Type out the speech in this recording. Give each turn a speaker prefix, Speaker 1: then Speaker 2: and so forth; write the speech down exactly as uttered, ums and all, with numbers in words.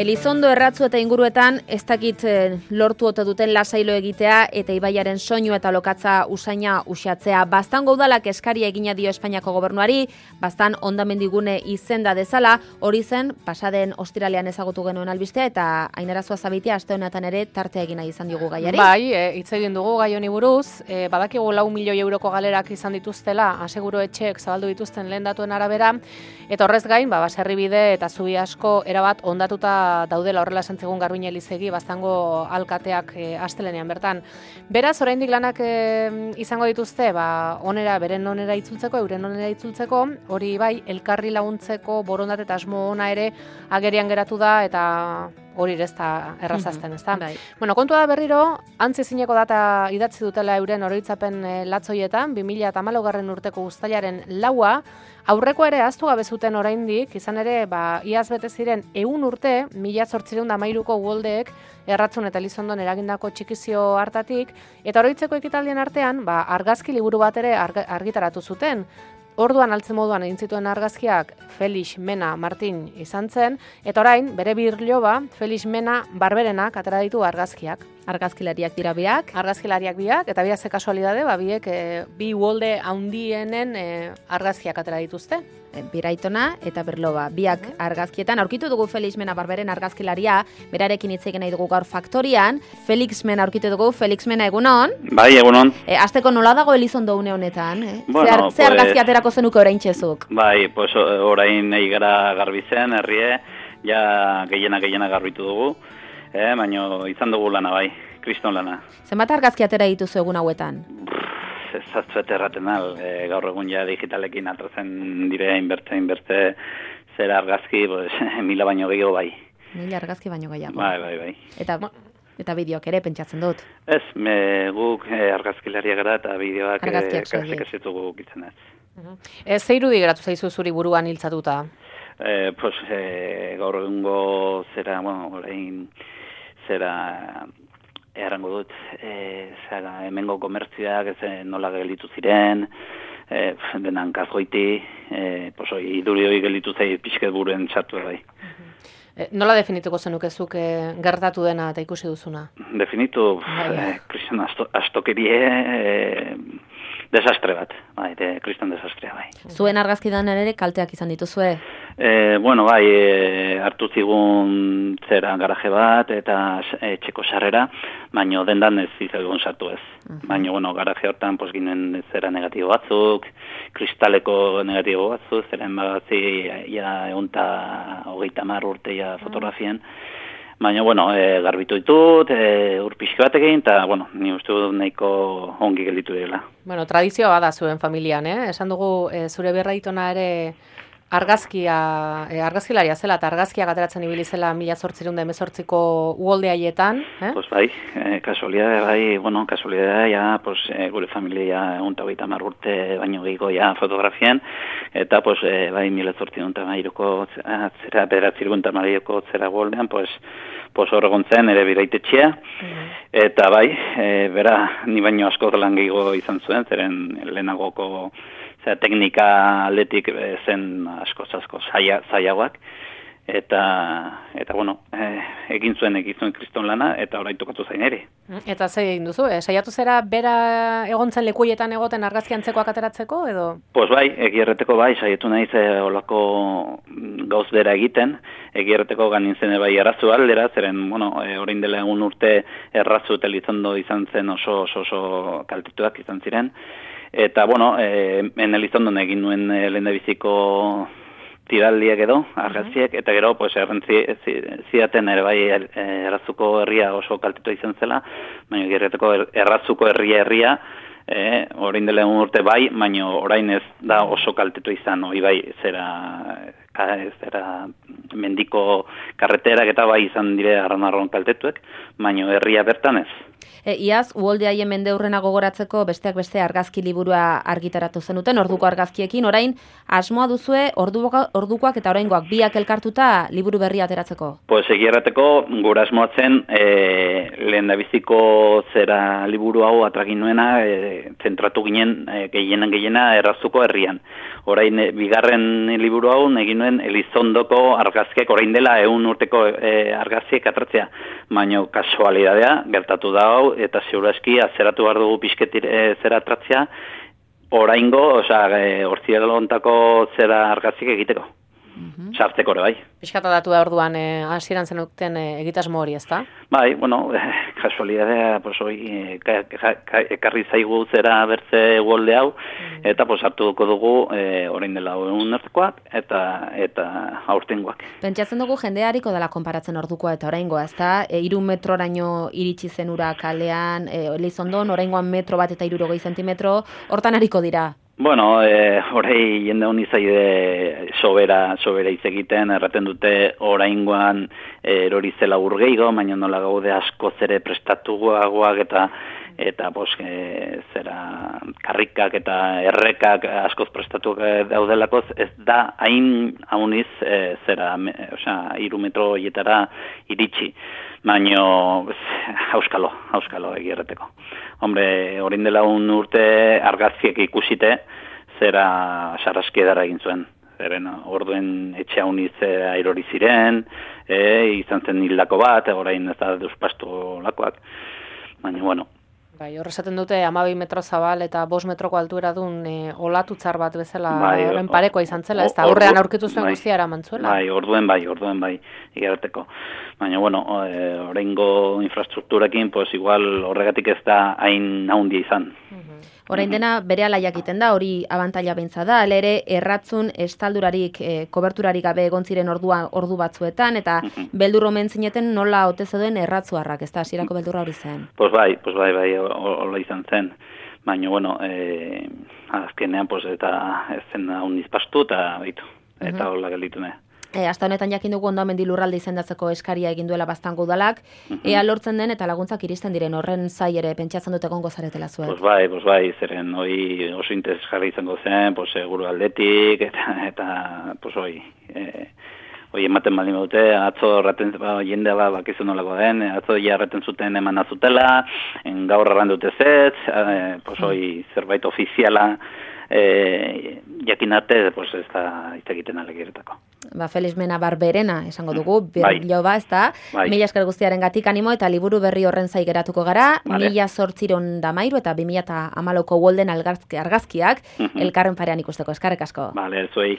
Speaker 1: Elizondo, Erratzu eta inguruetan ez dakit lortu ote duten lasailo egitea eta ibaiaren soinu eta lokatza usaina uxatzea. Baztango udalak eskaria egina dio Espainiako gobernuari, baztan hondamendigune izenda dezala, hori zen pasaden ostiralean ezagutu genuen albistea eta Ainara Zuazabitia aste honetan ere tartea egina izan diogu gaiari.
Speaker 2: Bai, e, hitz egin dugu gai honi buruz, e, badakigu lau milioi euroko galerak izan dituztela, aseguru etxeek zabaldu dituzten lehen datuen arabera, eta horrez gain, ba, baserribide eta zubi asko erabat hondatuta daudela, horrela esan zigun Garbiñe Elizegi Baztango alkateak e, astelenean bertan. Beraz, oraindik lanak e, izango dituzte, ba, onera, beren onera itzultzeko, euren onera itzultzeko, hori bai, elkarri laguntzeko borondate eta asmo ona ere agerian geratu da, eta hori ez da errazazten, ez da?
Speaker 1: Bai.
Speaker 2: Bueno, kontua da berriro, antzi zineko data idatzi dutela euren oroitzapen e, latzoietan, bi mila hamalaugarren urteko uztailaren laua, aurreko ere ahaztu gabe zuten oraindik, izan ere, ba, iaz bete ziren ehun urte, mila zortziehun eta hamairuko uholdeek Erratzun eta Elizondon eragindako txikizio hartatik, eta oroitzeko ekitaldien artean, ba, argazki liburu bat ere argitaratu zuten. Orduan altze moduan egin zituen argazkiak Felix Mena Martin izan zen, eta orain, bere birloba, Felix Mena Barberenak atera ditu argazkiak.
Speaker 1: Argazkilariak dira biak.
Speaker 2: Argazkilariak biak, eta biak ze kasualidade, ba, biek e, bi uholde handienen e, argazkiak atera dituzte.
Speaker 1: E, Biraitona eta Berloba, biak argazkietan. Aurkitu dugu Felix Mena Barberen argazkilaria, berarekin hitz egin nahi dugu gaur faktorian. Felix Mena aurkitu dugu, Felix Mena egunon.
Speaker 3: Bai, egunon.
Speaker 1: E, Azteko nola dago Elizondo une honetan? Eh?
Speaker 3: Bueno,
Speaker 1: ze, ar,
Speaker 3: pues,
Speaker 1: ze argazki aterako zenuke orain txezuk?
Speaker 3: Bai, pues orain nahi gara garbi zen, herrie, ja gehiena gehiena garbitu dugu, eh, baina izan dugu lana bai, kriston lana.
Speaker 1: Zenbat argazki atera dituzu egun hauetan?
Speaker 3: Ez zatzuet erraten al, e, gaur egun ja digitalekin atratzen dire, inbertze, inbertze, zera argazki, pues, mila baino gehiago bai.
Speaker 1: Mila argazki baino gehiago.
Speaker 3: Bai, bai, bai.
Speaker 1: Eta, eta bideoak ere pentsatzen dut.
Speaker 3: Ez, me, guk e, argazkilaria gara eta bideoak
Speaker 1: Argazkiak
Speaker 3: ez ditugu gitzen ez.
Speaker 2: Ez ze irudi geratu zaizu zuri buruan hiltzatuta?
Speaker 3: Eh, pues, eh, gaur egungo zera, bueno, orain zera errango dut, eh, zera, hemengo komertzioak ez nola gelditu ziren, eh, denan kazgoiti, eh, pues, iduri hori gelditu zei pixket buruen txartu bai.
Speaker 2: E, nola definituko zenukezuk e, gertatu dena eta ikusi duzuna?
Speaker 3: Definitu, eh, kriston asto, astokerie, eh, desastre bat, bai, de, kriston desastrea bai.
Speaker 1: Zuen argazkidan ere kalteak izan dituzue?
Speaker 3: E, bueno, bai, e, hartu zigun zera garaje bat eta etxeko sarrera, baino dendan ez zizegun sartu ez. Uh -huh. Baina, bueno, garaje hortan pues, ginen zera negatibo batzuk, kristaleko negatibo batzuk, zeren bagazi ja egun eta hogeita mar urte ja fotografien. Baina, bueno, e, garbitu ditut, e, urpixki batekin, eta, bueno, ni uste dut nahiko ongi gelditu direla.
Speaker 2: Bueno, tradizioa bada zuen familian, eh? Esan dugu, e, zure berraitona ere argazkia, e, argazkilaria zela, eta argazkiak ateratzen ibili zela mila zortziehun eta hemezortziko uholde haietan, eh?
Speaker 3: Pues bai, e, kasualidade, bai, bueno, kasualidade, ja, pues, e, gure familia egun eta hogeita hamar urte baino gehiago ja fotografien, eta, pues, e, bai, mila zortziehun eta hamairuko zera, bederatzirgun eta hamairuko zera uholdean, pues, pues hor egon zen, ere biraitetxea, mm. eta bai, e, bera, ni baino asko lan gehiago izan zuen, zeren lehenagoko zera, teknika aldetik zen asko-asko zaiagoak, eta, eta bueno, e, egin zuen, egin zuen kriston lana, eta orain tokatu zain ere.
Speaker 2: Eta ze egin duzu, eh? Saiatu zera bera egontzen lekuietan egoten argazki antzekoak ateratzeko, edo?
Speaker 3: Pues bai, egierreteko bai, saiatu naiz e, olako gauz bera egiten, egierreteko ganin zen bai errazu aldera, zeren, bueno, e, orain dela egun urte Errazu eta Elizondo izan zen oso, oso, oso kaltetuak izan ziren, eta, bueno, e, en Elizondon egin nuen e, lehendabiziko tiraldiak edo, argazkiek, eta gero, pues, errentzi zidaten ere bai Errazuko herria oso kaltetua izan zela, baina gerreteko Errazuko herria herria, e, orain dela egun urte bai, baina orain ez da oso kaltetua izan, hori bai, zera, zera mendiko karreterak eta bai izan dire arran-arron kaltetuek, baina herria bertan ez.
Speaker 1: E, iaz, uholde haien mendeurrena gogoratzeko besteak beste argazki liburua argitaratu zenuten, orduko argazkiekin, orain asmoa duzue orduko, ordukoak eta oraingoak biak elkartuta liburu berria ateratzeko?
Speaker 3: Pues egierrateko gura asmoatzen e, lehen dabiziko zera liburu hau atragin nuena e, zentratu ginen e, gehienen gehiena erraztuko herrian. Orain e, bigarren liburu hau egin nuen Elizondoko argazkiek orain dela ehun urteko e, argazkiek atratzea, baina kasualidadea gertatu da hau eta ziurazki azeratu behar dugu pixketir e, zera atratzea oraingo, osea, e, hortzialontako zera argazkiek egiteko. Mm-hmm. Sartzeko ere bai.
Speaker 2: Piskata datu da orduan eh, hasieran zenuten eh, egitasmo hori, ezta?
Speaker 3: Bai, bueno, eh, kasualidadea, pues hoi eh, ekarri zaigu zera bertze uholde hau, mm. eta pues hartuko dugu eh, orain dela egun ertekoak eta eta aurtengoak.
Speaker 1: Pentsatzen dugu jendeariko dela konparatzen ordukoa eta oraingoa, ezta? E, hiru metroraino iritsi zen ura kalean, e, Elizondon oraingoan metro bat eta hirurogei zentimetro, hortan ariko dira.
Speaker 3: Bueno, eh, orei jende honi zaide sobera, sobera hitz egiten, erraten dute oraingoan eh, erori zela urgeigo, baina nola gaude asko zere prestatuagoak eta eta pos, e, zera karrikak eta errekak askoz prestatuak daudelakoz, ez da hain hauniz e, zera, me, osea, hiru metro hietara iritsi. Baina, hauskalo, hauskalo egierreteko. Hombre, orain dela un urte argazkiek ikusite, zera sarraski edara egin zuen. Zeren, orduen etxe hauniz airori ziren, e, izan zen hildako bat, orain ez da deuspastu lakoak. Baina, bueno.
Speaker 2: Bai, horrezaten dute hamabi metro zabal eta bost metroko altuera duen e, olatutzar bat bezala
Speaker 3: bai,
Speaker 2: horren parekoa izan zela, ez da aurrean aurkitu zuen
Speaker 3: bai,
Speaker 2: guztia eramantzuela.
Speaker 3: Bai, orduen bai, orduen bai, igerateko. Baina, bueno, e, oraingo infrastrukturakin, pues igual horregatik ez da hain haundia izan.
Speaker 1: Uh-huh. Orain dena bere ala jakiten da, hori abantaila beintza da, alere erratzun estaldurarik, e, koberturarik gabe egon ziren ordua, ordu batzuetan, eta uh-huh. beldur omen zineten nola ote zeuden erratzuarrak, ez da, hasierako beldurra hori zen.
Speaker 3: Pues bai, pues bai, bai, hola izan zen. Baina, bueno, e, azkenean, pues, eta ez zen hau nizpastu, eta baitu, eta uh-huh. hola gelditu ne.
Speaker 1: E, Hasta honetan jakin dugu Hondamendi lurralde izendatzeko eskaria egin duela Baztango udalak, uh-huh. ea lortzen den eta laguntzak iristen diren horren zai ere pentsatzen dut egongo zaretela zuek.
Speaker 3: Pues bai, pues bai, zeren hoi oso interesgarri izango zen, pues seguru aldetik, eta, eta pues hoi, e, hoi ematen baldin badute, atzo erraten, ba, jendea ba, bakizu nolako den, atzo ja erraten zuten eman azutela, en gaur erran dute zez, e, pues hoi zerbait ofiziala, e, jakin arte, pues ez da hitz egiten alegiretako.
Speaker 1: Ba, Felix Mena Barberena esango dugu, berrilo ba, ez da, bai. Mila esker guztiaren gatik animo eta liburu berri horren zai geratuko gara, vale. Mila zortziron damairu eta bi mila hamalauko uholden argazkiak, uh-huh. elkarren parean ikusteko, eskarrek asko.
Speaker 3: Vale, zuei.